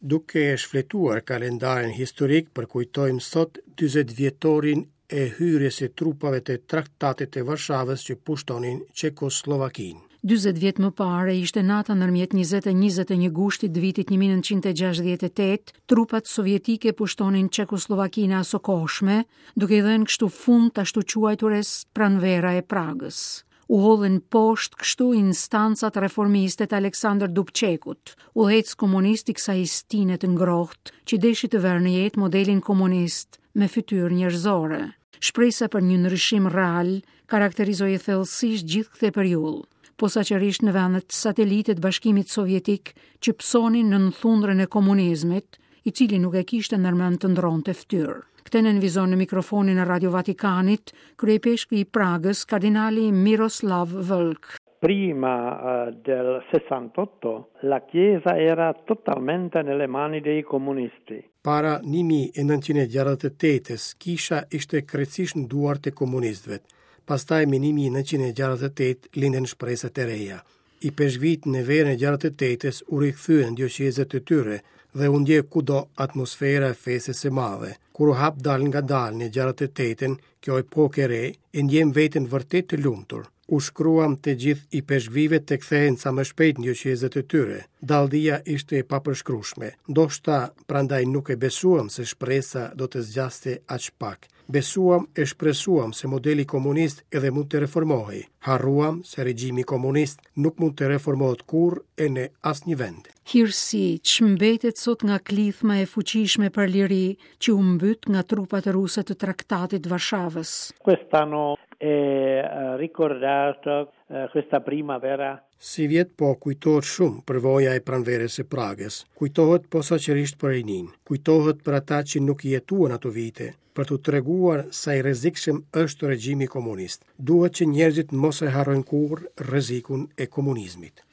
Duke shfletuar kalendarin historik, përkujtojmë sot 40 vjetorin e hyrjes së trupave të Traktatit të Varshavës që pushtonin Çekosllovakinë. 40 vjet më parë ishte nata ndërmjet 20 e 21 gushtit të vitit 1968, trupat sovjetike pushtonin Çekosllovakinë e asokohshme, duke i dhënë kështu fund të ashtuquajturës Pranvera e Pragës. U hodhën poshtë kështu instancat reformiste të Aleksandër Dubçekut, udhëheqës komunist i kësaj stine të ngrohtë, që deshi të vërë në jetë modelin komunist me fytyrë njerëzore. Shpresa për një ndryshim real karakterizoi thellësisht gjithë këtë periudhë, posaçërisht në vendet satelite të Bashkimit Sovjetik që pësonin nën thundrën e komunizmit, i cili nuk e kishte ndërmend të ndërronte fytyrë. Këtë nënvizon në mikrofonin e Radio Vatikanit, kryeipeshkvi i Pragës, kardinali Miroslav Vlk. Prima eh, del 68 la Chiesa era totalmente nelle mani dei comunisti. Para 1968-s, kisha ishte krejtësisht në duart e komunistëve. Pastaj me 1968 lindën shpresat e reja. Ipeshkvijtë në verën e 68-s u rikthyen në dioqezat e tyre dhe u ndje kudo atmosfera e festës së madhe. Kur u hap dalëngadalë në 68-ën, kjo epokë e re, e ndjemë veten vërtet të lumtur. U shkruam të gjithë ipeshkvijve të kthehen sa më shpejt në dioqezat e tyre. Dalldia ishte e papërshkrueshme. Ndoshta prandaj nuk e besuam se shpresa do të zgjaste aq pak. Besuam e shpresuam se modeli komunist edhe mund të reformohej. Harruam se regjimi komunist nuk mund të reformohet kurrë e në asnjë vend. Hirësi, ç'mbetet sot nga klithma e fuqishme për liri që u mbyt nga trupat ruse të Traktatit të Varshavës. Quest'anno è eh, ricordato eh, questa primavera Sivjet po kujtohet shumë përvoja e pranverës së Pragës. Kujtohet posaçërisht për rininë. Kujtohet për ata që nuk i jetuan ato vite, për t'u treguar sa i rrezikshëm është regjimi komunist. Duhet që njerëzit mos e harrojnë kurrë rrezikun e komunizmit.